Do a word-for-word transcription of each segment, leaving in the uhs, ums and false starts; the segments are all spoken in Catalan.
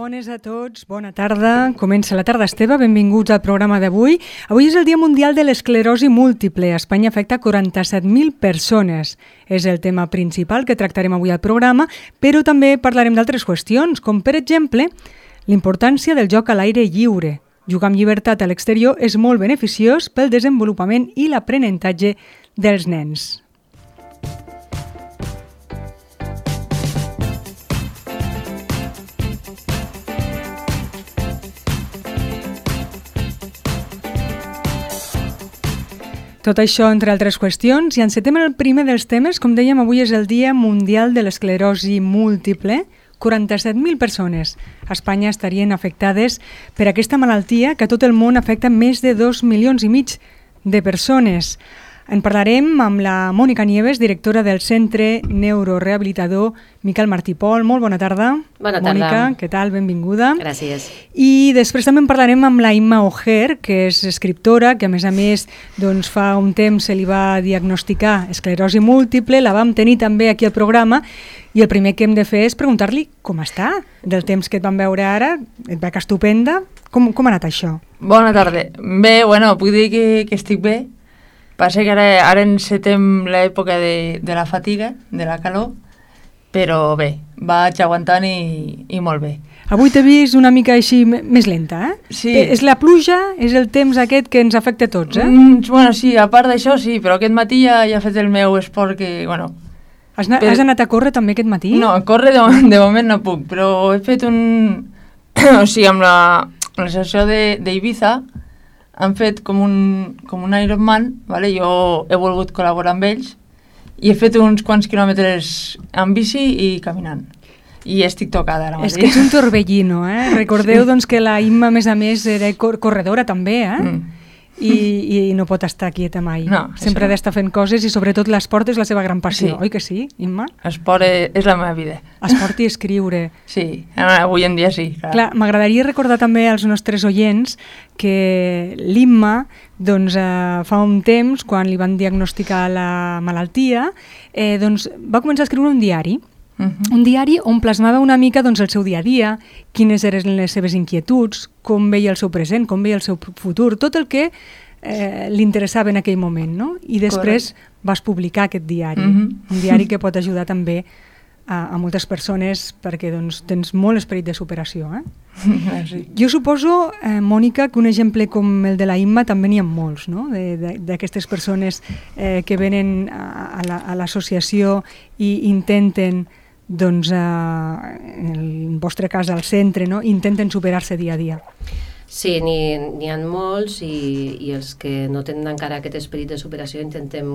bones a tots, bona tarda. Comença la tarda Esteve, benvinguts al programa d'avui. Avui és el Dia Mundial de l'Esclerosi Múltiple. A Espanya afecta quaranta-set mil persones. És el tema principal que tractarem avui al programa, però també parlarem d'altres qüestions, com per exemple l'importància del joc a l'aire lliure. Jugar amb llibertat a l'exterior és molt beneficiós pel desenvolupament i l'aprenentatge dels nens. Tot això, entre altres qüestions, i encetem el primer dels temes. Com dèiem, avui és el Dia Mundial de l'Esclerosi Múltiple. quaranta-set mil persones a Espanya estarien afectades per aquesta malaltia que a tot el món afecta més de dos milions i mig de persones. En parlarem amb la Mònica Nieves, directora del Centre Neurorehabilitador Miquel Martí i Pol. Molt bona tarda. Bona tarda. Mònica, què tal? Benvinguda. Gràcies. I després també en parlarem amb la Imma Ojer, que és escriptora, que a més a més doncs, fa un temps se li va diagnosticar esclerosi múltiple, la vam tenir també aquí al programa, i el primer que hem de fer és preguntar-li com està, del temps que et vam veure ara, et veig estupenda. Com, com ha anat això? Bona tarda. Bé, bueno, puc dir que, que estic bé. Passa que ara, ara encetem l'època de, de la fatiga, de la calor, però bé, vaig aguantant i, i molt bé. Avui t'he vist una mica així més lenta, eh? Sí. És la pluja, és el temps aquest que ens afecta a tots, eh? Mm, bueno, sí, a part d'això sí, però aquest matí ja, ja he fet el meu esport que, bueno... Has, na- per... has anat a córrer també aquest matí? No, a córrer de, de moment no puc, però he fet un... o sigui, amb la, amb la sessió d'Ibiza han fet com un, com un Ironman, vale? Jo he volgut col·laborar amb ells i he fet uns quants quilòmetres amb bici i caminant. I estic tocada ara mateix. És que ets un torbellino, eh? Recordeu sí. doncs, que la Imma, a més a més, era cor- corredora també, eh? Mm. I, i no pot estar quieta mai. No, sempre ha d'estar fent coses i sobretot l'esport és la seva gran passió, sí. Oi que sí, Imma? Esport és, és la meva vida. Esport i escriure. Sí, avui en dia sí. Clar, clar m'agradaria recordar també als nostres oients que l'Imma doncs, eh, fa un temps, quan li van diagnosticar la malaltia, eh, doncs, va començar a escriure un diari. Uh-huh. Un diari on plasmava una mica doncs, el seu dia a dia, quines eren les seves inquietuds, com veia el seu present, com veia el seu futur, tot el que eh, li interessava en aquell moment, no? I després Correcte. Vas publicar aquest diari, uh-huh. un diari que pot ajudar també a, a moltes persones perquè doncs, tens molt esperit de superació. Eh? Sí. Jo suposo, eh, Mònica, que un exemple com el de la Imma també n'hi ha molts, no? D'aquestes persones eh, que venen a, a l'associació i intenten doncs, eh, en el vostre cas al centre, no? Intenten superar-se dia a dia. Sí, n'hi ha molts i, i els que no tenen encara aquest esperit de superació intentem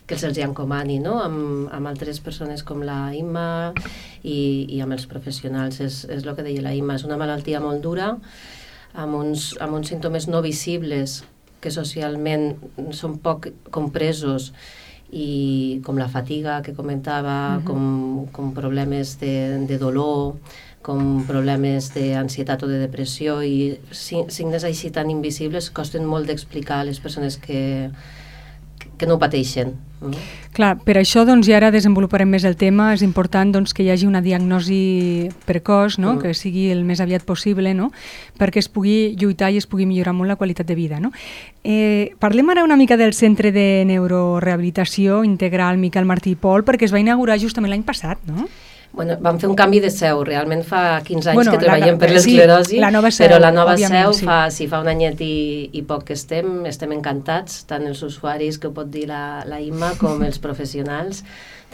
que se'ls encomani, no? Amb, amb altres persones com la Imma i, i amb els professionals. És, és el que deia la Imma, és una malaltia molt dura, amb uns, amb uns símptomes no visibles que socialment són poc compresos, i com la fatiga que comentava, uh-huh. com, com problemes de, de dolor, com problemes d'ansietat o de depressió, i signes així tan invisibles costen molt d'explicar a les persones que, que no ho pateixen. Mm. Clar, per això doncs, i ara desenvoluparem més el tema, és important doncs, que hi hagi una diagnosi precoç, no? Mm. que sigui el més aviat possible, no? perquè es pugui lluitar i es pugui millorar molt la qualitat de vida. No? Eh, parlem ara una mica del Centre de Neurorehabilitació Integral Miquel Martí i Pol, perquè es va inaugurar justament l'any passat, no? Bueno, vam fer un canvi de seu, realment fa quinze anys bueno, que treballem la, per l'esclerosi, sí, la nova seu, però la nova seu sí. fa, sí, fa un anyet i, i poc que estem, estem encantats, tant els usuaris que ho pot dir la, la Imma com els professionals.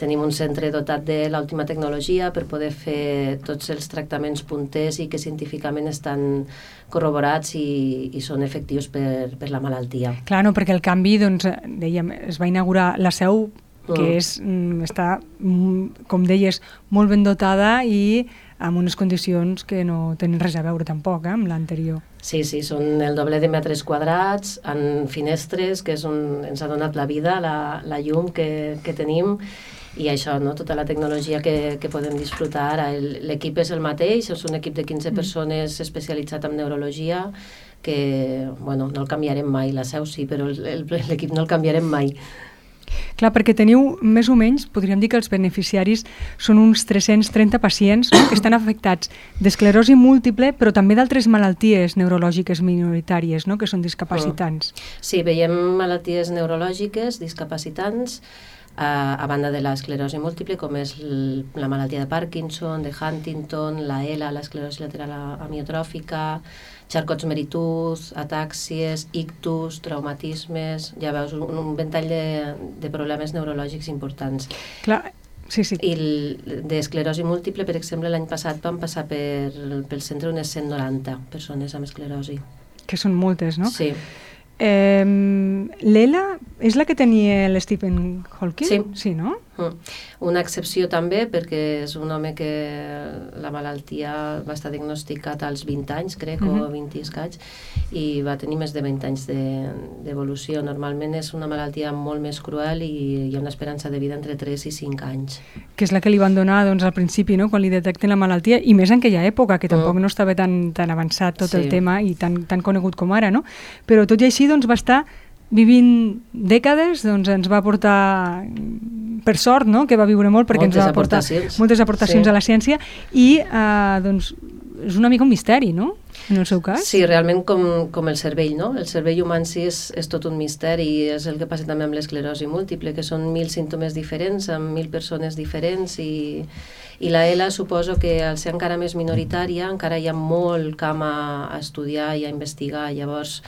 Tenim un centre dotat de l'última tecnologia per poder fer tots els tractaments punters i que científicament estan corroborats i, i són efectius per, per la malaltia. Clar, no, perquè el canvi, doncs, dèiem, es va inaugurar la seu que és, està, com deies, molt ben dotada i amb unes condicions que no tenen res a veure tampoc eh, amb l'anterior. Sí, sí, són el doble de metres quadrats, amb finestres, que és un, ens ha donat la vida, la, la llum que, que tenim, i això, no? Tota la tecnologia que, que podem disfrutar ara. L'equip és el mateix, és un equip de quinze persones especialitzat en neurologia, que bueno, no el canviarem mai, la seu sí, però l'equip no el canviarem mai. Clar, perquè teniu més o menys, podríem dir que els beneficiaris són uns tres-cents trenta pacients, no?, que estan afectats d'esclerosi múltiple, però també d'altres malalties neurològiques minoritàries, no?, que són discapacitants. Sí, veiem malalties neurològiques, discapacitants, a, a banda de l'esclerosi múltiple, com és l, la malaltia de Parkinson, de Huntington, la E L A, l'esclerosi lateral amiotròfica, Charcot-Marie-Tooth, atàxies, ictus, traumatismes, ja veus, un, un ventall de, de problemes neurològics importants. Clar, sí, sí. I d'esclerosi múltiple, per exemple, l'any passat van passar per, pel centre unes cent noranta persones amb esclerosi. Que són moltes, no? Sí. Eh, L'E L A és la que tenia l'Stephen Hawking? Sí. Sí, no? Mm. Una excepció també, perquè és un home que la malaltia va estar diagnosticat als vint anys, crec, mm-hmm. o vint i escaig, i va tenir més de vint anys d'evolució. De, Normalment és una malaltia molt més cruel i hi ha una esperança de vida entre tres i cinc anys. Que és la que li van donar, doncs, al principi, no?, quan li detecten la malaltia, i més en aquella època, que tampoc mm. no estava tan, tan avançat tot sí. el tema i tan, tan conegut com ara, no? Però tot i així, doncs, va estar vivint dècades, doncs ens va portar, per sort, no?, que va viure molt, perquè moltes ens va portar aportacions. moltes aportacions sí. a la ciència, i eh, doncs és una mica un misteri, no?, en el seu cas. Sí, realment com, com el cervell, no? El cervell humà en si és, és tot un misteri, i és el que passa també amb l'esclerosi múltiple, que són mil símptomes diferents, amb mil persones diferents, i, i la E L A suposo que al ser encara més minoritària, encara hi ha molt camp a, a estudiar i a investigar. Llavors,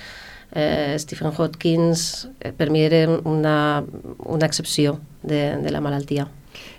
Eh, Stephen Hawking eh, per mi era una, una excepció de, de la malaltia.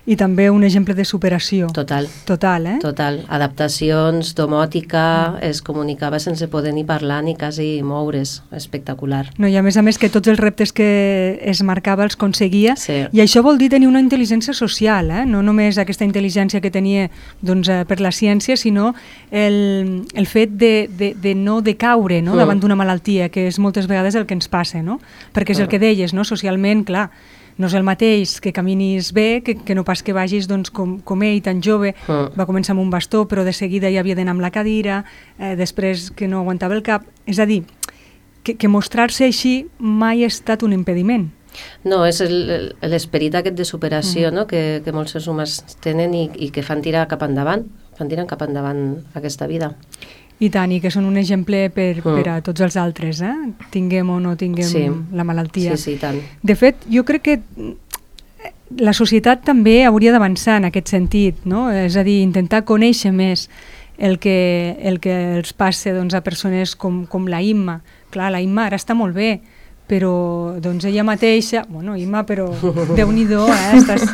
I també un exemple de superació. Total. Total, eh? Total. Adaptacions, domòtica, es comunicava sense poder ni parlar ni quasi moure's. Espectacular. No, i a més a més que tots els reptes que es marcava els aconseguia, sí. i això vol dir tenir una intel·ligència social, eh? No només aquesta intel·ligència que tenia, doncs, per la ciència, sinó el, el fet de, de, de no decaure, no?, davant d'una malaltia, que és moltes vegades el que ens passa, no? Perquè és el que deies, no? Socialment, clar, no és el mateix que caminis bé que, que no pas que vagis, doncs, com, com ell, tan jove. Mm. Va començar amb un bastó, però de seguida ja havia d'anar amb la cadira, eh, després que no aguantava el cap. És a dir, que, que mostrar-se així mai ha estat un impediment. No, és l'esperit aquest de superació, mm. no?, que, que molts éssers humans tenen i, i que fan tirar cap endavant, fan tirar cap endavant aquesta vida. I tant, i que són un exemple per, mm. per a tots els altres, eh? Tinguem o no tinguem sí. la malaltia. Sí, sí, tant. De fet, jo crec que la societat també hauria d'avançar en aquest sentit, no? És a dir, intentar conèixer més el que, el que els passa, doncs, a persones com, com la Imma. Clar, la Imma ara està molt bé, però doncs ella mateixa, bueno, Imma, però Déu-n'hi-do, eh? estàs,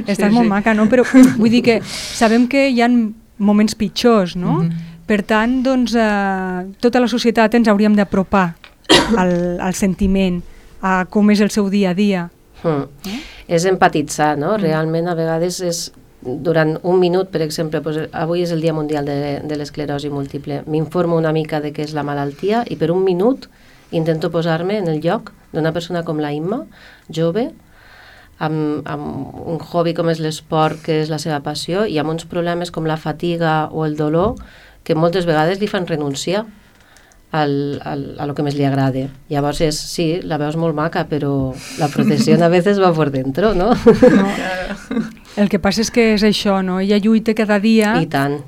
estàs sí, molt sí. maca, no? Però vull dir que sabem que hi ha moments pitjors, no? Mm-hmm. Per tant, doncs, eh, tota la societat ens hauríem d'apropar al, al sentiment, a com és el seu dia a dia. Mm. Eh? És empatitzar, no? Mm. Realment, a vegades és durant un minut, per exemple, doncs, avui és el Dia Mundial de, de l'Esclerosi Múltiple, m'informo una mica de què és la malaltia i per un minut intento posar-me en el lloc d'una persona com la Imma, jove, amb, amb un hobby com és l'esport, que és la seva passió, i amb uns problemes com la fatiga o el dolor, que moltes vegades li fan renunciar al, al, a lo que més li agrada. Llavors és, sí, la veus molt maca, però la protecció a vegades va por dentro, no? No. El que passa és que és això, no? Ella lluita cada dia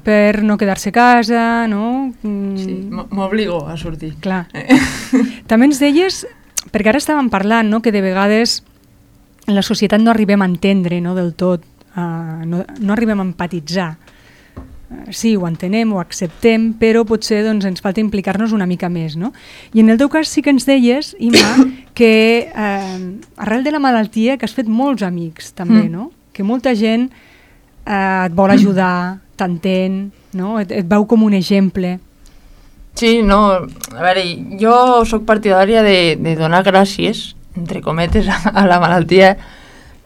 per no quedar-se a casa, no? Mm. Sí, m'obligo a sortir. Clar. També ens deies, perquè ara estàvem parlant, no?, que de vegades en la societat no arribem a entendre, no?, del tot, uh, no, no arribem a empatitzar. Sí, ho entenem, ho acceptem, però potser doncs, ens falta implicar-nos una mica més, no? I en el teu cas sí que ens deies, Imma, que eh, arrel de la malaltia que has fet molts amics també, mm. no? Que molta gent eh, et vol ajudar, t'entén, no? Et, et veu com un exemple. Sí, no, a veure, jo sóc partidària de, de donar gràcies, entre cometes, a, a la malaltia,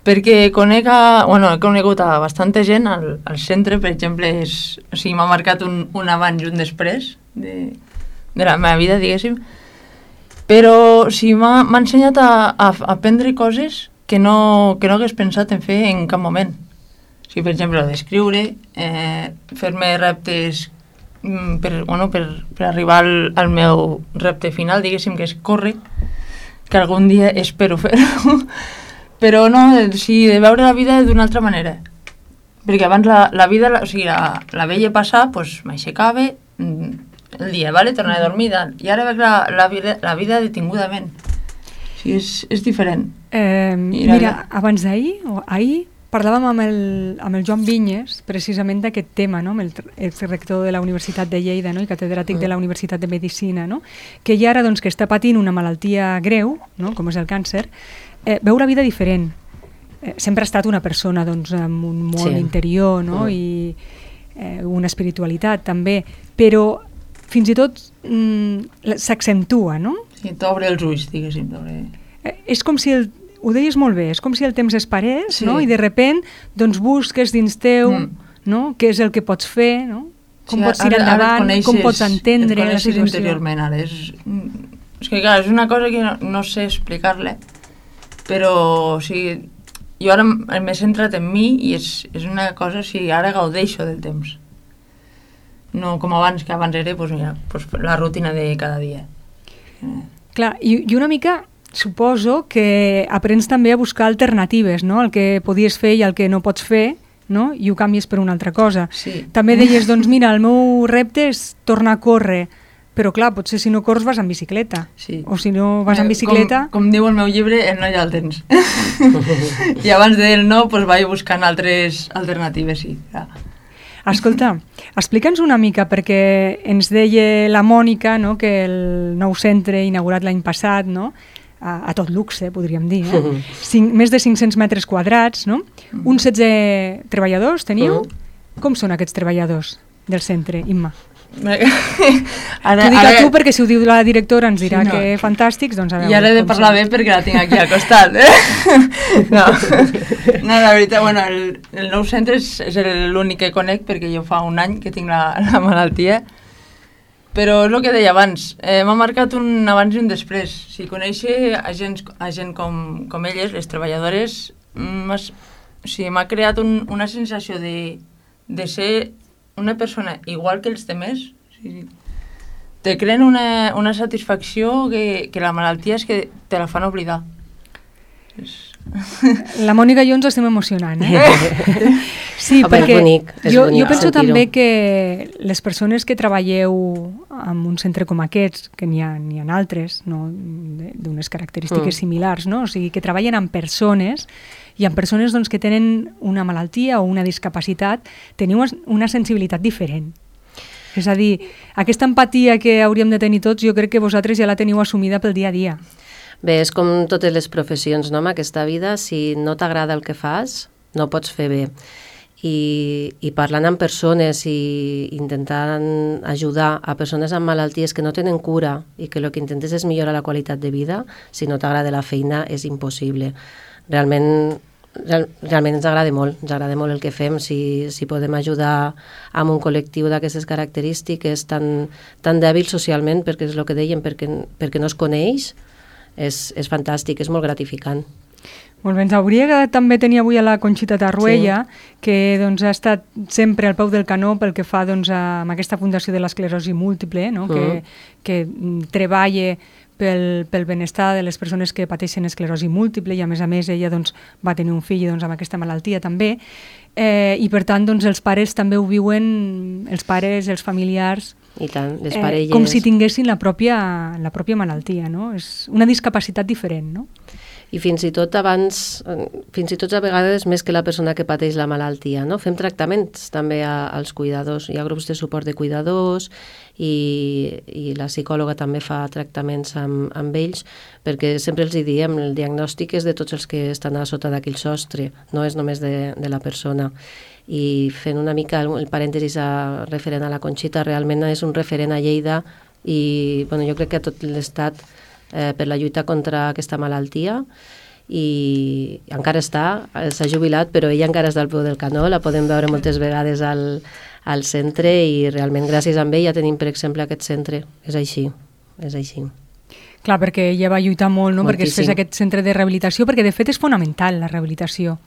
perquè conec a, bueno, he conegut a bastanta gent al, al centre, per exemple, és, o sigui, m'ha marcat un, un abans i un després de, de la meva vida, diguéssim, però o sigui, m'ha ensenyat a, a, a aprendre coses que no, que no hagués pensat en fer en cap moment. O sigui, per exemple, d'escriure, eh, fer-me reptes per, bueno, per, per arribar al, al meu repte final, diguéssim, que és córrer, que algun dia espero fer-ho, però no, o sigui, de veure la vida d'una altra manera. Perquè abans la, la vida, la, o sigui, la, la veia passar, doncs m'aixecava el dia, vale? Tornava a dormir, i ara veig la, la, vida, la vida detingudament. O sigui, és, és diferent. Eh, mira, abans d'ahir, o ahir, parlàvem amb el, amb el Joan Vinyes precisament d'aquest tema, no? Amb el exrector de la Universitat de Lleida, no? I catedràtic de la Universitat de Medicina, no? Que ell ara doncs, que està patint una malaltia greu, no? Com és el càncer, eh, veu la vida diferent. Eh, sempre ha estat una persona doncs, amb un món sí. interior, no? Mm. I eh, una espiritualitat també, però fins i tot mm, s'accentua, no? Sí, t'obre els ulls, diguéssim. Eh, és com si el Ho deies molt bé, és com si el temps es parés, sí. no? I de repent doncs, busques dins teu mm. no? Què és el que pots fer, no? Com sí, pots tirar endavant, coneixes, com pots entendre la situació. Interiorment, ara. És, és que clar, és una cosa que no, no sé explicar-la, però o sigui, jo ara m'he centrat en mi i és, és una cosa, o sigui, ara gaudeixo del temps. No com abans, que abans era pues, mira, pues, la rutina de cada dia. Clar, i, i una mica... Suposo que aprens també a buscar alternatives, no? El que podies fer i el que no pots fer, no? I ho canvies per una altra cosa. Sí. També deies, doncs mira, el meu repte és tornar a córrer, però clar, potser si no corres vas en bicicleta. Sí. O si no vas en bicicleta... Com, com diu el meu llibre, el no hi ha el temps. I abans del no, doncs vaig buscant altres alternatives, sí. Ja. Escolta, explica'ns una mica, perquè ens deia la Mònica, no? Que el nou centre inaugurat l'any passat, no? A, a tot luxe, podríem dir, eh? Cinc, més de cinc-cents metres quadrats, no? Uns setze treballadors teniu? Com són aquests treballadors del centre, Imma? Ara, T'ho dic ara... a tu perquè si ho diu la directora ens dirà sí, no. que fantàstics, doncs a veure... I ara he de parlar bé perquè la tinc aquí al costat, eh? No, no la veritat, bueno, el, el nou centre és, és l'únic que conec perquè jo fa un any que tinc la, la malaltia. Però és el que deia abans, eh, m'ha marcat un abans i un després. Si conèixer a gent, a gent com, com elles, les treballadores, m'ha o sigui, m'ha creat un, una sensació de, de ser una persona igual que els demés. O sigui, te creen una, una satisfacció que, que la malaltia és que te la fan oblidar. És... La Mònica i jo ens estem emocionant, eh? Sí, Home, perquè és bonic, és jo, bonic jo penso sentir-ho. també que les persones que treballeu en un centre com aquests, que n'hi ha, n'hi ha altres, no? D'unes característiques mm. similars, no? O sigui, que treballen amb persones i amb persones doncs, que tenen una malaltia o una discapacitat, teniu una sensibilitat diferent. És a dir, aquesta empatia que hauríem de tenir tots, jo crec que vosaltres ja la teniu assumida pel dia a dia. Bé, és com totes les professions, no? En aquesta vida, si no t'agrada el que fas, no pots fer bé. I, i parlant amb persones i intentant ajudar a persones amb malalties que no tenen cura i que el que intentes és millorar la qualitat de vida, si no t'agrada la feina és impossible. Realment, real, realment ens agrada molt, ens agrada molt el que fem, si, si podem ajudar amb un col·lectiu d'aquestes característiques tan, tan dèbil socialment, perquè és el que dèiem, perquè, perquè no es coneix, és, és fantàstic, és molt gratificant. Molt bé, ens hauria agradat també tenir avui a la Conxita Tarruella, sí. que doncs, ha estat sempre al peu del canó pel que fa doncs, a, amb aquesta Fundació de l'Esclerosi Múltiple, no? uh -huh. que, que treballa pel, pel benestar de les persones que pateixen esclerosi múltiple i a més a més ella doncs, va tenir un fill doncs, amb aquesta malaltia també, eh, i per tant doncs, els pares també ho viuen, els pares, els familiars, I tant, les eh, parelles... com si tinguessin la pròpia, la pròpia malaltia, no? És una discapacitat diferent, no? I fins i tot abans, fins i tot a vegades més que la persona que pateix la malaltia, no? Fem tractaments també a, als cuidadors, hi ha grups de suport de cuidadors i, i la psicòloga també fa tractaments amb, amb ells, perquè sempre els hi diem, el diagnòstic és de tots els que estan a sota d'aquell sostre, no és només de, de la persona. I fent una mica el, el parèntesis a, referent a la Conxita, realment és un referent a Lleida i bueno, jo crec que a tot l'Estat Eh, per la lluita contra aquesta malaltia i encara està, s'ha jubilat però ella encara està al peu del canó, la podem veure moltes vegades al, al centre i realment gràcies a ella tenim per exemple aquest centre, és així, és així. Clar, perquè ella va lluitar molt, no? Perquè es fes aquest centre de rehabilitació, perquè de fet és fonamental la rehabilitació.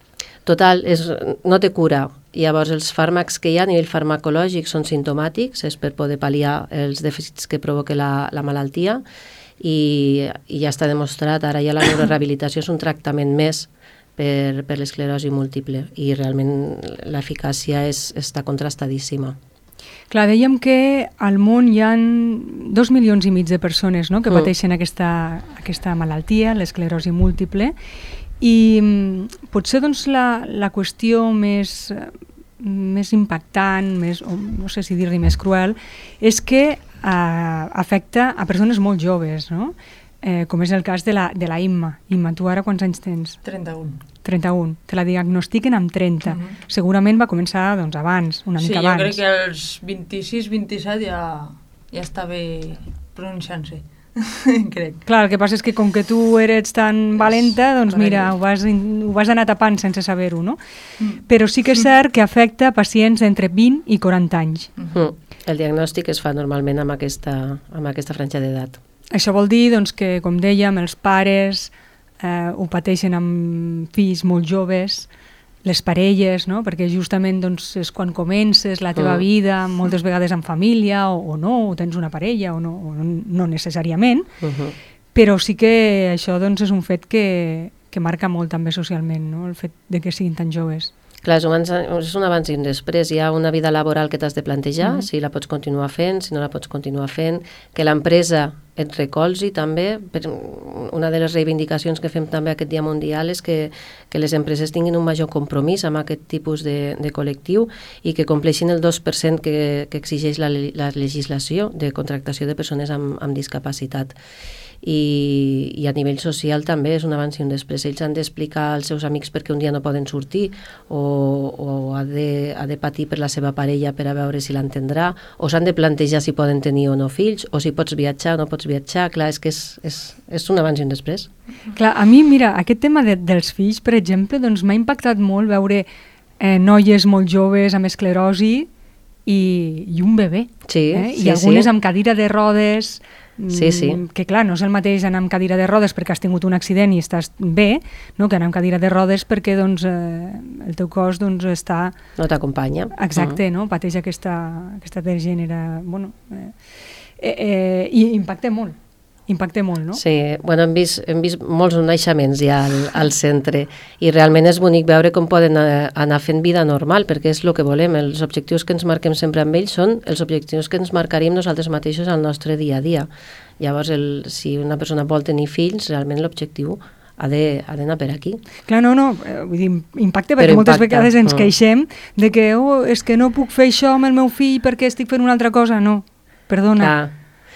Total, és, no té cura. Llavors els fàrmacs que hi ha a nivell farmacològic són simptomàtics, és per poder pal·liar els dèficits que provoca la, la malaltia. I, i ja està demostrat, ara ja la neurorehabilitació és un tractament més per, per l'esclerosi múltiple i realment l'eficàcia és, està contrastadíssima. Clar, dèiem que al món hi ha dos milions i mig de persones, no?, que mm. pateixen aquesta, aquesta malaltia, l'esclerosi múltiple, i potser doncs, la, la qüestió més, més impactant, més, o no sé si dir-li més cruel, és que eh, afecta a persones molt joves, no?, eh, com és el cas de la, de la Imma. Imma, tu ara quants anys tens? trenta-un. trenta-un. Te la diagnostiquen amb trenta. Uh -huh. Segurament va començar doncs, abans, una sí, mica abans. Sí, jo crec que als vint-i-sis vint-i-set ja, ja estava pronunciant-se, crec. Clar, el que passa és que com que tu eres tan valenta, doncs mira, ho vas, ho vas anar tapant sense saber-ho, no? Mm. Però sí que és cert que afecta pacients entre vint i quaranta anys. Mm. El diagnòstic es fa normalment amb aquesta, amb aquesta franja d'edat. Això vol dir doncs, que, com dèiem, els pares eh, ho pateixen amb fills molt joves, les parelles, no?, perquè justament doncs, és quan comences la teva mm. vida, moltes vegades en família, o, o no, o tens una parella, o no, o no necessàriament, uh-huh. però sí que això doncs, és un fet que, que marca molt també socialment, no?, el fet de que siguin tan joves. Clar, és un, és un abans i un després. Hi ha una vida laboral que t'has de plantejar, mm. si la pots continuar fent, si no la pots continuar fent, que l'empresa et recolzi també. Una de les reivindicacions que fem també aquest Dia Mundial és que, que les empreses tinguin un major compromís amb aquest tipus de, de col·lectiu i que compleixin el dos per cent que, que exigeix la, la legislació de contractació de persones amb, amb discapacitat. I, i a nivell social també és un abans i un després. Ells han d'explicar als seus amics perquè un dia no poden sortir o, o ha, de, ha de patir per la seva parella per a veure si l'entendrà, o s'han de plantejar si poden tenir o no fills, o si pots viatjar o no pots viatjar. Clar, és que és, és, és un abans i un després. Clar, a mi, mira, aquest tema de, dels fills, per exemple, doncs m'ha impactat molt veure eh, noies molt joves amb esclerosi i, i un bebè. Sí, eh? sí, I algunes sí. amb cadira de rodes. Sí, sí. Que clar, no és el mateix anar amb cadira de rodes perquè has tingut un accident i estàs bé, no? Que anar amb cadira de rodes perquè doncs, eh, el teu cos doncs, està... No t'acompanya. Exacte, uh-huh. no? Pateix aquesta, aquesta degènera... Bueno, eh, eh, eh, i impacta molt. Impacta molt, no? Sí, bueno, hem vist, hem vist molts naixements ja al, al centre i realment és bonic veure com poden anar fent vida normal, perquè és el que volem. Els objectius que ens marquem sempre amb ells són els objectius que ens marcaríem nosaltres mateixos al nostre dia a dia. Llavors, el, si una persona vol tenir fills, realment l'objectiu ha d'anar per aquí. Clar, no, no, vull dir, impacta perquè moltes vegades ens queixem de que oh, és que no puc fer això amb el meu fill perquè estic fent una altra cosa. No, perdona. Clar.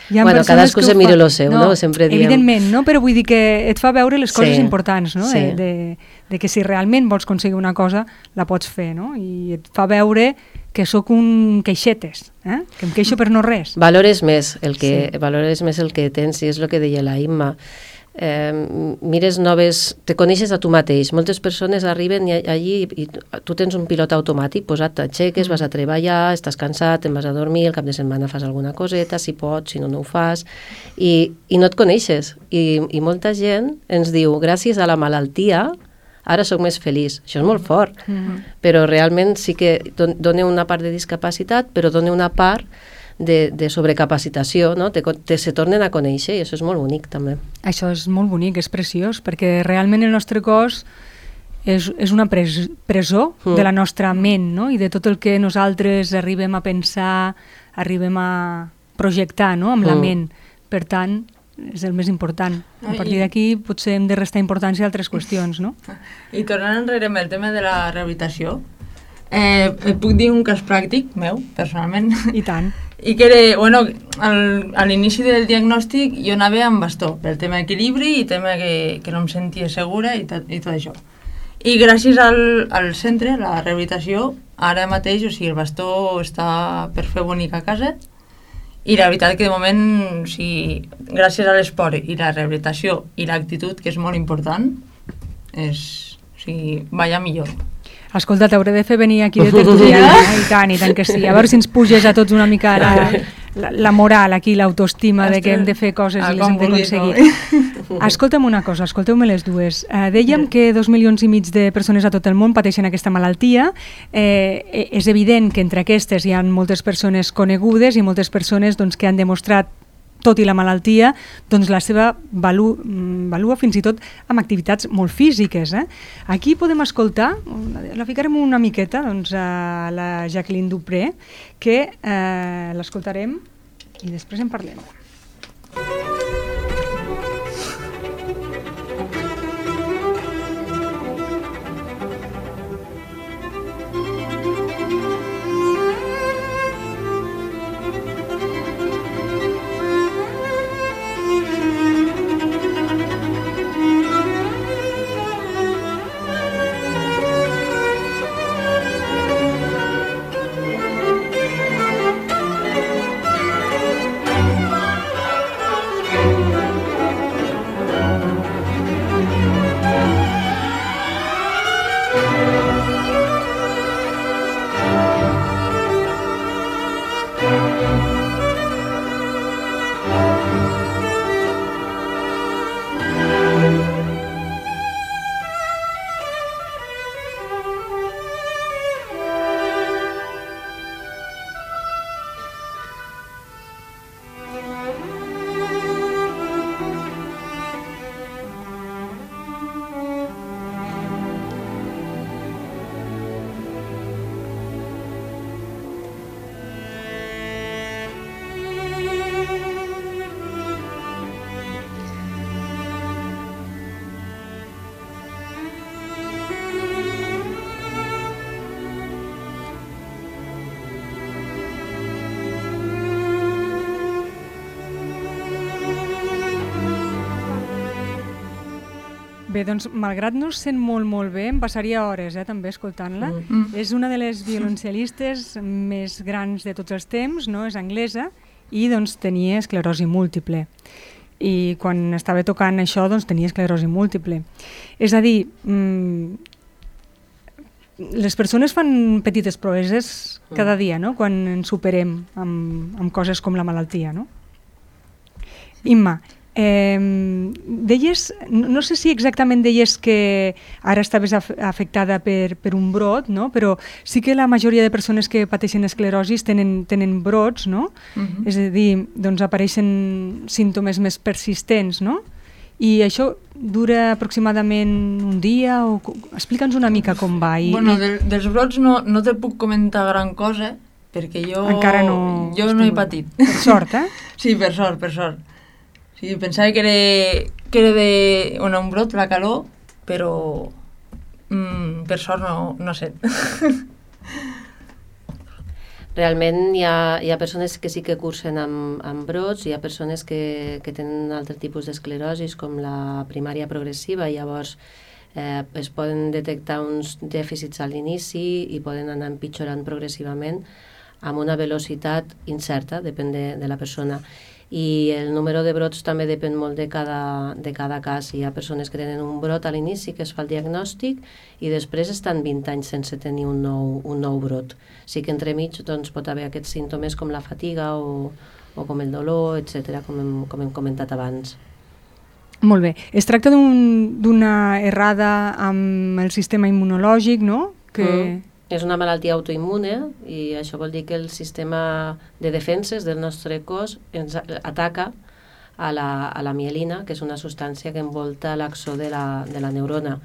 Bueno, cadascú se mira lo seu, no? no? Sempre diem... Evidentment, no? Però vull dir que et fa veure les coses sí, importants, no? Sí. De, de, de que si realment vols aconseguir una cosa, la pots fer, no? I et fa veure que sóc un queixetes, eh? Que em queixo per no res. Valores més el que, sí. valores més el que tens, i és el que deia la Imma. Eh, mires noves, te coneixes a tu mateix. Moltes persones arriben i, allí i tu tens un pilot automàtic posat, t'aixeques, vas a treballar, estàs cansat, te'n vas a dormir, el cap de setmana fas alguna coseta, si pots, si no, no ho fas, i, i no et coneixes. I, I molta gent ens diu, gràcies a la malaltia, ara sóc més feliç. Això és molt fort, mm-hmm. però realment sí que dona una part de discapacitat, però dona una part De, de sobrecapacitació, no? te, te se tornen a conèixer i això és molt bonic també. Això és molt bonic, és preciós, perquè realment el nostre cos és, és una pres, presó mm. de la nostra ment, no? I de tot el que nosaltres arribem a pensar, arribem a projectar, no? Amb mm. la ment. Per tant, és el més important. A partir d'aquí potser hem de restar importància a altres qüestions, no? I tornant enrere amb el tema de la rehabilitació, eh, et puc dir un cas pràctic meu, personalment. I tant. I que era, bueno, al, a l'inici del diagnòstic jo anava amb bastó, pel tema d'equilibri i tema que, que no em sentia segura i tot, i tot això. I gràcies al, al centre, a la rehabilitació, ara mateix, o sigui, el bastó està per fer bonic a casa, i la veritat que de moment, o sigui, gràcies a l'esport i la rehabilitació i l'actitud, que és molt important, és, o sigui, vaya millor. Escolta, t'hauré de fer venir aquí de tertuliana, eh? I tant, i tant que sí. A veure si ens puges a tots una mica la, la, la moral aquí, l'autoestima de que hem de fer coses i les hem d'aconseguir. Escolta'm una cosa, escolteu-me les dues. Uh, dèiem que dos milions i mig de persones a tot el món pateixen aquesta malaltia. Eh, és evident que entre aquestes hi ha moltes persones conegudes i moltes persones doncs, que han demostrat tot i la malaltia, doncs la seva valu, valua fins i tot amb activitats molt físiques. Eh? Aquí podem escoltar, la ficarem una miqueta, doncs, a la Jacqueline Dupré, que eh, l'escoltarem i després en parlem. Bé, doncs, malgrat no es sent molt, molt bé, em passaria hores, eh, també, escoltant-la. Mm. És una de les violoncel·listes més grans de tots els temps, no? És anglesa, i doncs tenia esclerosi múltiple. I quan estava tocant això, doncs tenia esclerosi múltiple. És a dir, mmm, les persones fan petites proeses cada dia, no? Quan ens superem amb, amb coses com la malaltia, no? Imma, Eh, deies, no sé si exactament deies que ara estaves af afectada per, per un brot, no? Però sí que la majoria de persones que pateixen esclerosi tenen, tenen brots, no? Uh-huh. És a dir, doncs apareixen símptomes més persistents, no? I això dura aproximadament un dia? O... Explica'ns una mica com va. I, bueno, de, dels brots no, no te puc comentar gran cosa, perquè jo, encara no, jo no he patit. Per sort, eh? Sí, per sort, per sort. Sí, pensava que era, que era de bueno, un brot, la calor, però mm, per sort no, no sé. Realment hi ha, hi ha persones que sí que cursen amb, amb brots, hi ha persones que, que tenen altre tipus d'esclerosis, com la primària progressiva, i llavors eh, es poden detectar uns dèficits a l'inici i poden anar empitjorant progressivament amb una velocitat incerta, depèn de, de la persona. I el número de brots també depèn molt de cada, de cada cas. Hi ha persones que tenen un brot a l'inici, que es fa el diagnòstic, i després estan vint anys sense tenir un nou, un nou brot. Sí que entremig doncs, pot haver aquests símptomes com la fatiga o, o com el dolor, etcètera, com hem, com hem comentat abans. Molt bé. Es tracta d'una un, errada amb el sistema immunològic, no? Que... Mm. És una malaltia autoimmune i això vol dir que el sistema de defenses del nostre cos ens ataca a la, a la mielina, que és una substància que envolta l'axó de, la, de la neurona.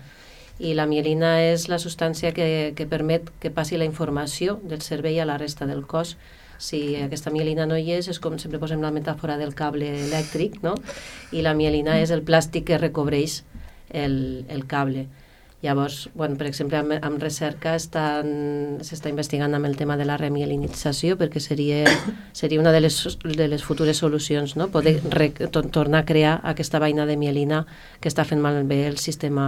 I la mielina és la substància que, que permet que passi la informació del cervell a la resta del cos. Si aquesta mielina no hi és, és com sempre posem la metàfora del cable elèctric, no? I la mielina és el plàstic que recobreix el, el cable. Llavors, bueno, per exemple, amb, amb recerca s'està investigant amb el tema de la remielinització, perquè seria, seria una de les, de les futures solucions, no? Poder re, to, tornar a crear aquesta vaina de mielina que està fent malbé el sistema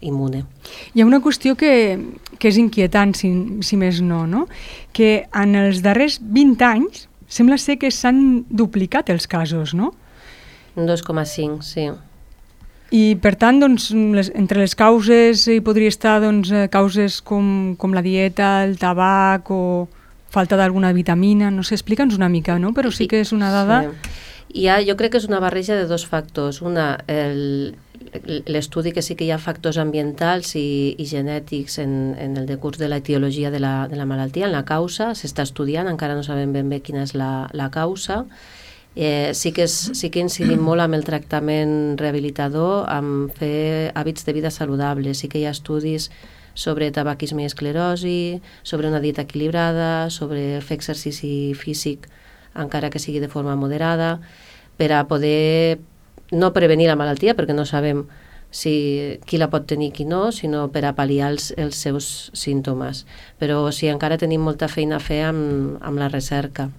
immune. Hi ha una qüestió que, que és inquietant, si, si més no, no? Que en els darrers vint anys sembla ser que s'han duplicat els casos, no? dos coma cinc, sí. I, per tant, doncs, les, entre les causes hi podria estar doncs, causes com, com la dieta, el tabac o falta d'alguna vitamina, no sé, explica'ns una mica, no? Però sí que és una dada... Sí. Ha, jo crec que és una barreja de dos factors. Una, l'estudi que sí que hi ha factors ambientals i, i genètics en, en el decurs de l'etiologia de, la, de la malaltia, en la causa, s'està estudiant, encara no sabem ben bé quina és la, la causa. Eh, sí, que és, sí que incidim molt amb el tractament rehabilitador, amb fer hàbits de vida saludables. Sí que hi ha estudis sobre tabaquisme i esclerosi, sobre una dieta equilibrada, sobre fer exercici físic encara que sigui de forma moderada, per a poder no prevenir la malaltia, perquè no sabem si qui la pot tenir i qui no, sinó per a pal·liar els, els seus símptomes. Però sí, encara tenim molta feina a fer amb, amb la recerca.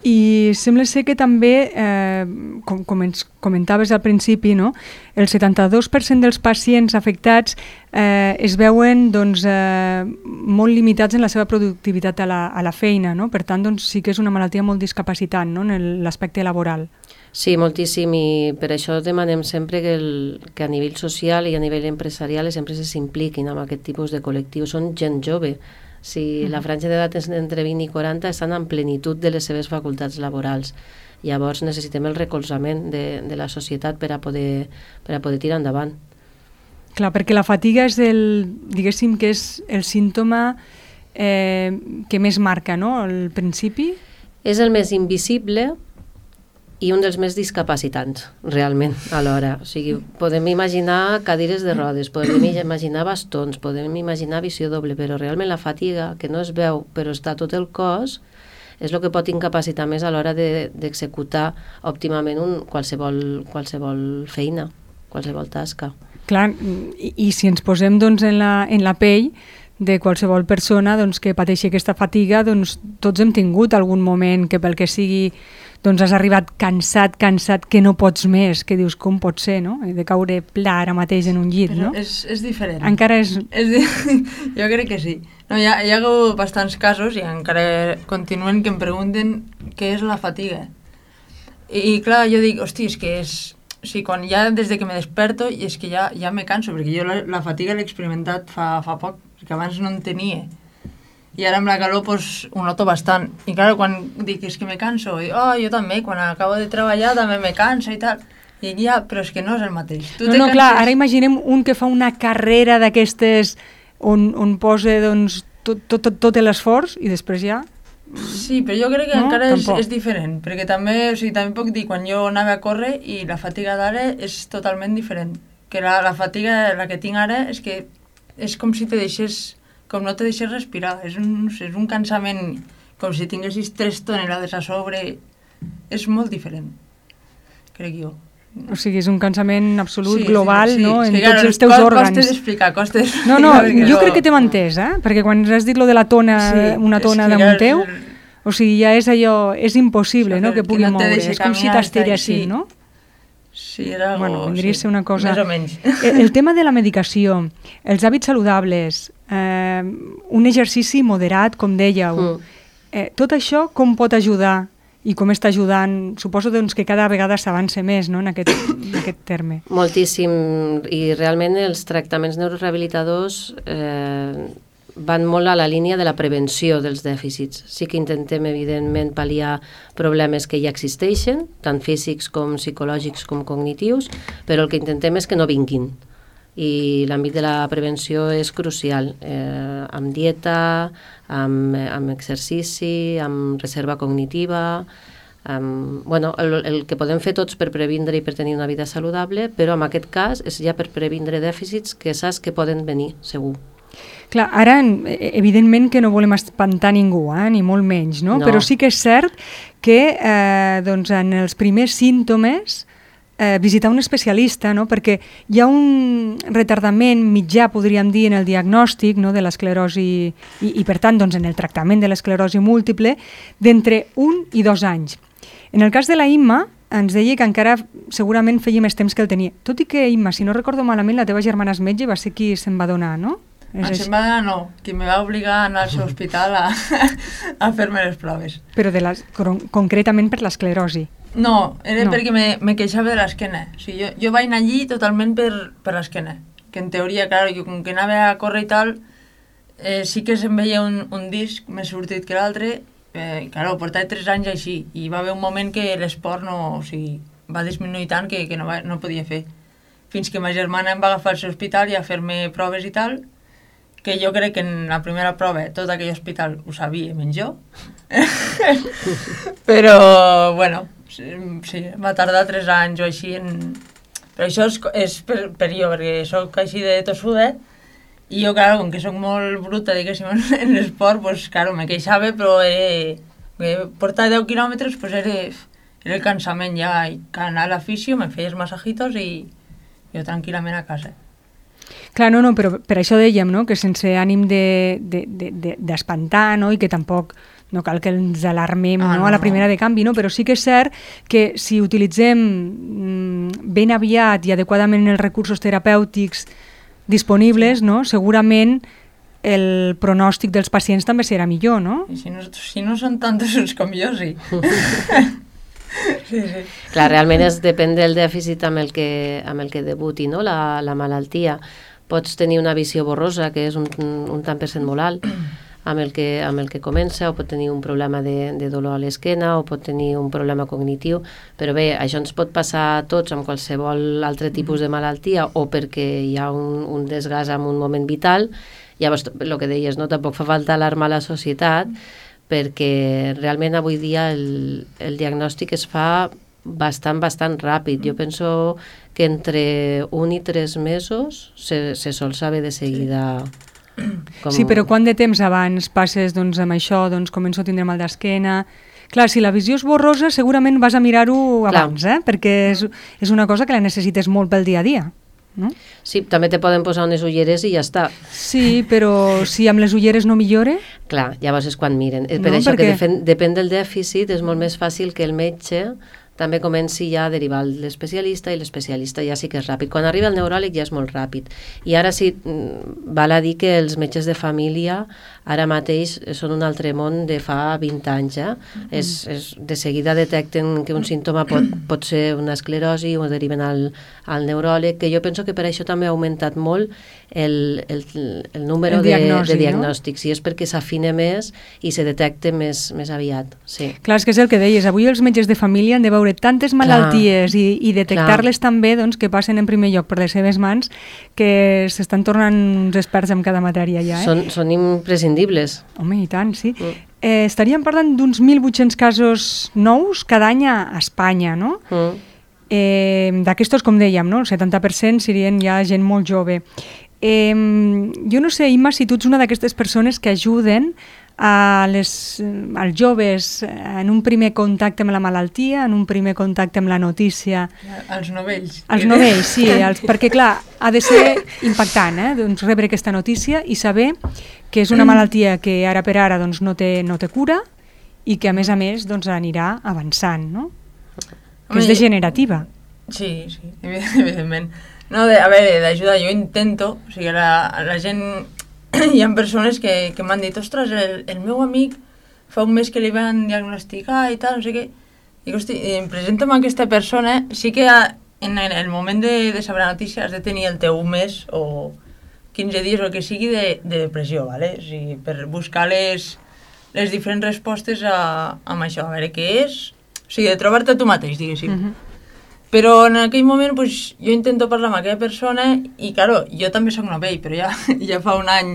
I sembla ser que també, eh, com, com ens comentaves al principi, no? El setanta-dos per cent dels pacients afectats eh, es veuen doncs, eh, molt limitats en la seva productivitat a la, a la feina, no? Per tant, doncs, sí que és una malaltia molt discapacitant, no? En l'aspecte laboral. Sí, moltíssim, i per això demanem sempre que, el, que a nivell social i a nivell empresarial les empreses s'impliquin amb aquest tipus de col·lectius. Són gent jove. Si la franja d'edat és entre vint i quaranta, estan en plenitud de les seves facultats laborals. Llavors necessitem el recolzament de, de la societat per a poder, per a poder tirar endavant. Clar, perquè la fatiga és el, diguéssim que és el símptoma eh, que més marca, no?, al principi. És el més invisible i un dels més discapacitants, realment, alhora. O sigui, podem imaginar cadires de rodes, podem imaginar bastons, podem imaginar visió doble, però realment la fatiga, que no es veu, però està tot el cos, és el que pot incapacitar més a l'hora d'executar de, òptimament un, qualsevol, qualsevol feina, qualsevol tasca. Clar, i, i si ens posem doncs, en, la, en la pell de qualsevol persona doncs, que pateixi aquesta fatiga, doncs, tots hem tingut algun moment que pel que sigui doncs has arribat cansat, cansat, que no pots més, que dius com pot ser, no? De caure pla ara mateix en un llit, però no? És, és diferent. Encara és... és di... Jo crec que sí. No, hi, ha, hi ha bastants casos i encara continuen que em pregunten què és la fatiga. I, i clar, jo dic, hosti, és que és... O sigui, quan ja des de que me desperto i és que ja, ja me canso, perquè jo la, la fatiga l'he experimentat fa, fa poc, perquè abans no en tenia. I ara amb la calor pues, ho noto bastant. I clar, quan dic és que me canso, dic, oh, jo també, quan acabo de treballar també me canso i tal. I dic, ja, però és que no és el mateix. Tu no, no, canses... clar, ara imaginem un que fa una carrera d'aquestes on, on posa doncs, tot, tot, tot, tot l'esforç i després ja... Sí, però jo crec que no? encara és, és diferent, perquè també, o sigui, també puc dir, quan jo anava a córrer i la fatiga d'ara és totalment diferent. Que la, la fatiga, la que tinc ara, és que és com si te deixés... com no te deixes respirar, és un, no sé, és un cansament com si tinguessis tres tonelades a sobre, és molt diferent, crec jo. O sigui, és un cansament absolut, sí, global, sí, sí, no?, sí, en sí, tots clar, els teus cost, òrgans. Costes d'explicar, costes... No, no, jo crec que t'hem entès, eh? Perquè quan has dit lo de la tona, sí, una tona damunt teu, o sigui, ja és allò, és impossible, no?, que pugui moure, és com si t'estiressin, no? Sí, era algo... Bueno, vendria a ser una cosa... Més o menys. El, el tema de la medicació, els hàbits saludables, eh, un exercici moderat, com dèieu, mm. eh, tot això com pot ajudar i com està ajudant? Suposo doncs, que cada vegada s'avança més, no?, en aquest, en aquest terme. Moltíssim, i realment els tractaments neurorehabilitadors eh, van molt a la línia de la prevenció dels dèficits. Sí que intentem, evidentment, pal·liar problemes que ja existeixen, tant físics com psicològics com cognitius, però el que intentem és que no vinguin. I l'àmbit de la prevenció és crucial, eh, amb dieta, amb, amb exercici, amb reserva cognitiva. Amb, bueno, el, el que podem fer tots per previndre i per tenir una vida saludable, però en aquest cas és ja per previndre dèficits que saps que poden venir, segur. Clar, ara, evidentment que no volem espantar ningú, eh, ni molt menys, no? No. Però sí que és cert que eh, doncs en els primers símptomes eh, visitar un especialista, no? Perquè hi ha un retardament mitjà, podríem dir, en el diagnòstic, no?, de l'esclerosi i, i, per tant, doncs, en el tractament de l'esclerosi múltiple d'entre un i dos anys. En el cas de la Imma, ens deia que encara segurament feia més temps que el tenia. Tot i que, Imma, si no recordo malament, la teva germana és metge i va ser qui se'n va donar, no? En se'n va donar no, qui me va obligar a anar al seu hospital a, a fer-me les proves. Però de les, concretament per l'esclerosi? No, era no. perquè me, me queixava de l'esquena. O sigui, jo, jo vaig anar allí totalment per, per l'esquena. Que en teoria, clar, jo com que anava a córrer i tal, eh, sí que se'm veia un, un disc més sortit que l'altre. Eh, claro, portava tres anys així i va haver un moment que l'esport no, o sigui, va disminuir tant que, que no, va, no podia fer. Fins que ma germana em va agafar al seu hospital i a fer-me proves i tal, que jo crec que en la primera prova tot aquell hospital ho sabia menys jo. Però, bueno, sí, sí, va tardar tres anys o així en... Però això és, és per, per jo, perquè soc així de tossuda i jo, claro, com que soc molt bruta, diguéssim, en l'esport, pues, claro, me queixava, però era... Portar deu quilòmetres, pues era, era el cansament ja, i anar a l'afició, me feia els massajitos i jo tranquil·lament a casa. Clar, no, no, però per això dèiem, no?, que sense ànim d'espantar, de, de, de, no?, i que tampoc no cal que ens alarmem ah, no, no, a la primera de canvi, no? Però sí que és cert que si utilitzem ben aviat i adequadament els recursos terapèutics disponibles, no?, segurament el pronòstic dels pacients també serà millor, no? I si no, si no són tan tossuts com jo, sí. Sí, sí. Clar, realment és, depèn del dèficit amb el que, amb el que debuti, no?, la, la malaltia. Pots tenir una visió borrosa, que és un, un tant per cent molt alt, amb el, que, amb el que comença, o pot tenir un problema de, de dolor a l'esquena, o pot tenir un problema cognitiu, però bé, això ens pot passar a tots amb qualsevol altre tipus de malaltia, o perquè hi ha un, un desgast en un moment vital. Llavors, el que deies, no? Tampoc fa falta alarmar la societat, perquè realment avui dia el, el diagnòstic es fa bastant, bastant ràpid. Jo penso que entre un i tres mesos se, se sol saber de seguida. Com... Sí, però quant de temps abans passes doncs, amb això, doncs començo a tindre mal d'esquena? Clar, si la visió és borrosa, segurament vas a mirar-ho abans, eh? Perquè és, és una cosa que la necessites molt pel dia a dia. No? Sí, també te poden posar unes ulleres i ja està. Sí, però si amb les ulleres no millore... Clar, llavors és quan miren. Per no, això perquè... que defen, depèn del dèficit, és molt més fàcil que el metge també comenci ja a derivar l'especialista, i l'especialista ja sí que és ràpid. Quan arriba el neuròleg ja és molt ràpid. I ara sí, val a dir que els metges de família ara mateix són un altre món de fa vint anys. Eh? Mm. És, és, de seguida detecten que un símptoma pot, pot ser una esclerosi, o deriven al, al neuròleg, que jo penso que per això també ha augmentat molt el, el, el número el diagnosi, de, de diagnòstics, no? I és perquè s'afina més i se detecta més, més aviat. Sí. Clar, és que és el que deies, avui els metges de família han de veure tantes malalties clar, i, i detectar-les també, doncs, que passen en primer lloc per les seves mans, que s'estan tornant uns experts en cada matèria ja. Eh? Són, són imprescindibles. Home, i tant, sí. Mm. Eh, estaríem parlant d'uns mil vuit-cents casos nous cada any a Espanya, no? Mm. Eh, d'aquestos, com dèiem, no? El setanta per cent serien ja gent molt jove. Eh, jo no sé, Imma, si tu ets una d'aquestes persones que ajuden a les, als joves en un primer contacte amb la malaltia, en un primer contacte amb la notícia. Els novells. Els novells, sí, els, perquè clar, ha de ser impactant, eh, doncs, rebre aquesta notícia i saber que és una malaltia que ara per ara doncs, no, té, no té cura i que a més a més doncs, anirà avançant, no? Que és degenerativa. Sí, sí, evidentment. No, de, a veure, d'ajuda jo intento, o sigui, la, la gent... Hi ha persones que, que m'han dit, ostres, el, el meu amic fa un mes que li van diagnosticar i tal, no sé què. Dic, hosti, em presento amb aquesta persona, sí que en el moment de, de saber la notícia has de tenir el teu mes o quinze dies o el que sigui de, de depressió, ¿vale? O sigui, per buscar les, les diferents respostes a, a això, a veure què és, o sigui, de trobar-te tu mateix, diguéssim. Mm-hmm. Però en aquell moment pues, jo intento parlar amb aquella persona i, claro, jo també soc novell, però ja, ja fa un any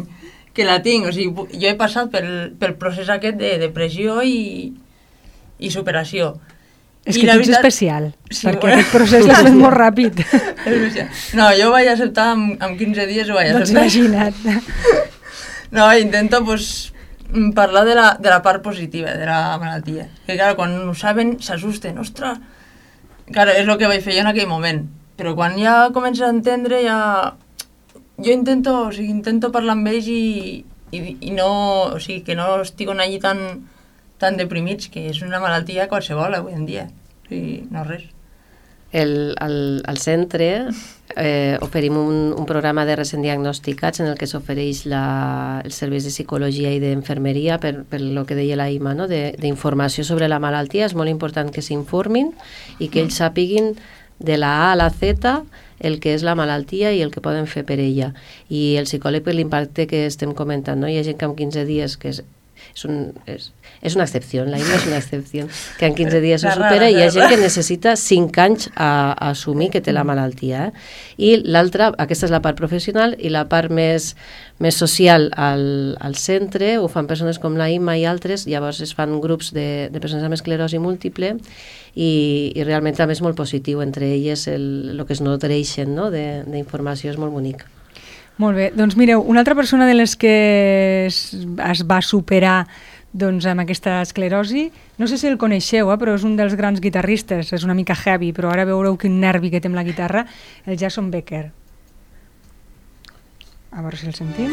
que la tinc. O sigui, jo he passat pel, pel procés aquest de depressió i, i superació. És I que tu ets veritat, especial, sí, perquè bueno, aquest procés l'has fet molt ràpid. No, jo ho vaig acceptar amb, amb quinze dies, ho vaig acceptar. Doncs imagina't. No, intento pues, parlar de la, de la part positiva de la malaltia. Que, clar, quan ho saben, s'assusten. Ostres! Claro, és el que vaig fer jo en aquell moment, però quan ja comences a entendre ja... Jo intento, o sigui, intento parlar amb ells i, i, i no... O sigui, que no estiguen allí tan, tan deprimits, que és una malaltia qualsevol avui en dia. O sigui, no res. El, al, al centre eh, oferim un, un programa de recent diagnosticats en el que s'ofereix els serveis de psicologia i d'infermeria per, per lo que deia la Imma, no? D'informació sobre la malaltia. És molt important que s'informin i que ells sàpiguin de la A a la Z el que és la malaltia i el que poden fer per ella. I el psicòleg, per l'impacte que estem comentant, no? Hi ha gent que en quinze dies, que és és, un, és, és una excepció, la Imma és una excepció, que en quinze dies ho supera, i hi ha gent que necessita cinc anys a, a assumir que té la malaltia. Eh? I l'altra, aquesta és la part professional, i la part més, més social al, al centre, ho fan persones com la Imma i altres, llavors es fan grups de, de persones amb esclerosi múltiple, i, i realment també és molt positiu, entre elles el, el que es nodreixen, no? d'informació, és molt bonic. Molt bé, doncs mireu, una altra persona de les que es, es va superar doncs, amb aquesta esclerosi, no sé si el coneixeu, eh, però és un dels grans guitarristes, és una mica heavy, però ara veureu quin nervi que té amb la guitarra, el Jason Becker. A veure si el sentim.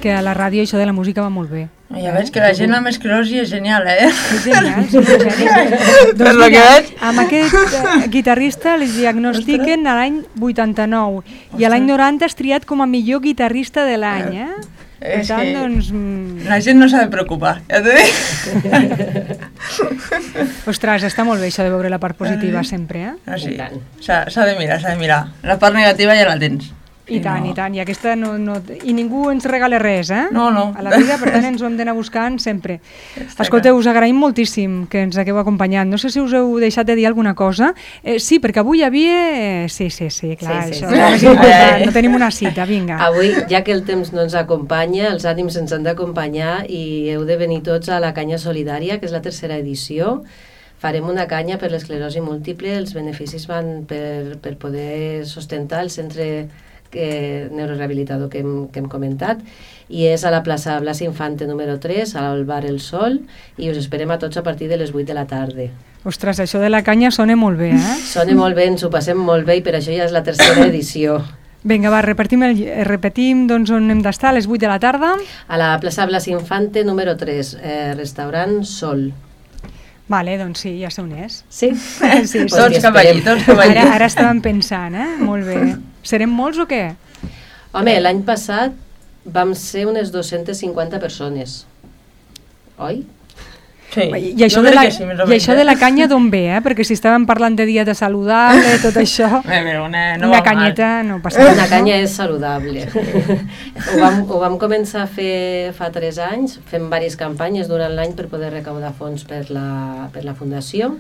Que a la ràdio això de la música va molt bé. Ja veig que la gent amb esclerosi és genial, eh? És genial, són genials. Doncs mira, amb aquest uh, guitarrista li diagnostiquen a l'any vuitanta-nou i a l'any noranta és triat com a millor guitarrista de l'any, eh? Per És tant, que doncs... la gent no s'ha de preocupar, ja t'ho dic. Ostres, està molt bé això de veure la part positiva sempre, eh? Ah, sí. S'ha de mirar, s'ha de mirar. La part negativa ja la tens. I tant, no. i tant, i aquesta no, no... I ningú ens regala res, eh? No, no. A la vida, per tant, ens ho hem d'anar buscant sempre. Escolteu, us agraïm moltíssim que ens hagueu acompanyat. No sé si us heu deixat de dir alguna cosa. Eh, sí, perquè avui hi havia... Eh, sí, sí, sí, clar, sí, sí, això sí. És més important. No tenim una cita, vinga. Avui, ja que el temps no ens acompanya, els ànims ens han d'acompanyar i heu de venir tots a la Canya Solidària, que és la tercera edició. Farem una canya per l'esclerosi múltiple. Els beneficis van per, per poder sustentar el centre que, neurorehabilitador que hem, que hem comentat, i és a la plaça Blas Infante número tres, al bar El Sol, i us esperem a tots a partir de les vuit de la tarda. Ostres, això de la canya sona molt bé, eh? Sona molt bé, ens ho passem molt bé, i per això ja és la tercera edició. Vinga, va, repetim, el, repetim doncs, on hem d'estar, a les vuit de la tarda. A la plaça Blas Infante número tres, eh, restaurant Sol. Vale, doncs sí, ja sé on és. Sí? sí, tots doncs cap allí, tots cap allí. Ara, ara estàvem pensant, eh? Molt bé. Serem molts o què? Home, l'any passat vam ser unes dues-centes cinquanta persones. Oi? Sí. I, i això, de la, sí, i això de la canya d'on ve, eh? Perquè si estàvem parlant de dieta saludable, tot això, una, no una canyeta mal. No passa res. Una canya és saludable. ho, vam, ho vam començar a fer fa tres anys, fem diverses campanyes durant l'any per poder recaudar fons per la, per la fundació,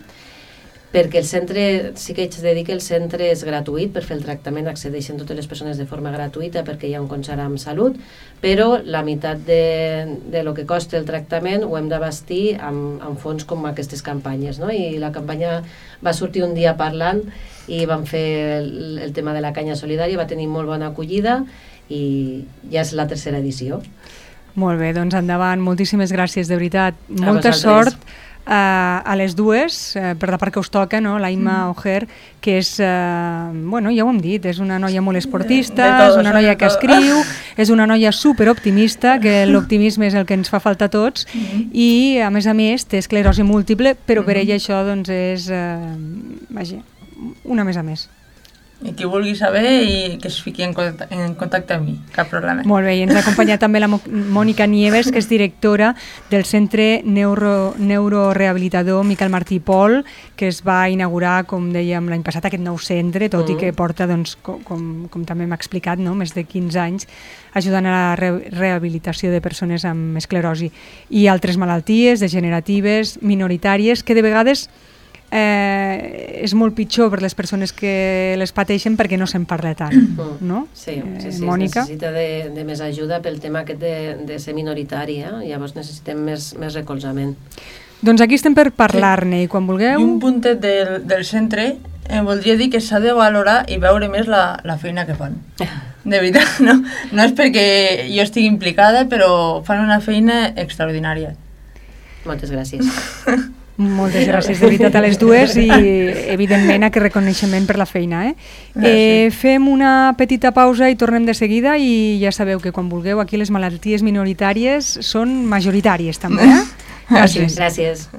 perquè el centre, sí que haig de dir que el centre és gratuït, per fer el tractament accedeixen totes les persones de forma gratuïta perquè hi ha un concert amb salut, però la meitat de, de lo que costa el tractament ho hem d'abastir amb, amb fons com aquestes campanyes, no? I la campanya va sortir un dia parlant i vam fer el, el tema de la canya solidària, va tenir molt bona acollida i ja és la tercera edició. Molt bé, doncs endavant, moltíssimes gràcies, de veritat, molta sort. Uh, a les dues, uh, per la part que us toca, no? La Imma mm. Ojer, que és, uh, bueno, ja ho hem dit, és una noia molt esportista, és una noia que escriu, és una noia superoptimista, que l'optimisme és el que ens fa falta a tots, mm. i a més a més té esclerosi múltiple, però per ella això doncs és, uh, vaja, una més a més. I qui vulgui saber i que es fiqui en contacte, en contacte amb mi, cap problema. Molt bé, i ens ha acompanyat també la Mònica Nieves, que és directora del Centre Neuro, Neurorehabilitador Miquel Martí i Pol, que es va inaugurar, com dèiem, l'any passat, aquest nou centre, tot mm. i que porta, doncs, com, com, com també m'ha explicat, no? més de quinze anys, ajudant a la re rehabilitació de persones amb esclerosi i altres malalties degeneratives, minoritàries, que de vegades Eh, és molt pitjor per les persones que les pateixen perquè no se'n parla tant, mm. no? Sí, sí, sí, Mònica? Es necessita de, de més ajuda pel tema aquest de, de ser minoritari, eh? Llavors necessitem més, més recolzament. Doncs aquí estem per parlar-ne i quan vulgueu... I un puntet del, del centre eh, voldria dir que s'ha de valorar i veure més la, la feina que fan. De veritat, no? No és perquè jo estigui implicada, però fan una feina extraordinària. Moltes gràcies. Moltes gràcies, de veritat, a les dues i, evidentment, aquest reconeixement per la feina. Eh? Eh, fem una petita pausa i tornem de seguida i ja sabeu que quan vulgueu aquí les malalties minoritàries són majoritàries també. Eh? Gràcies. Gràcies.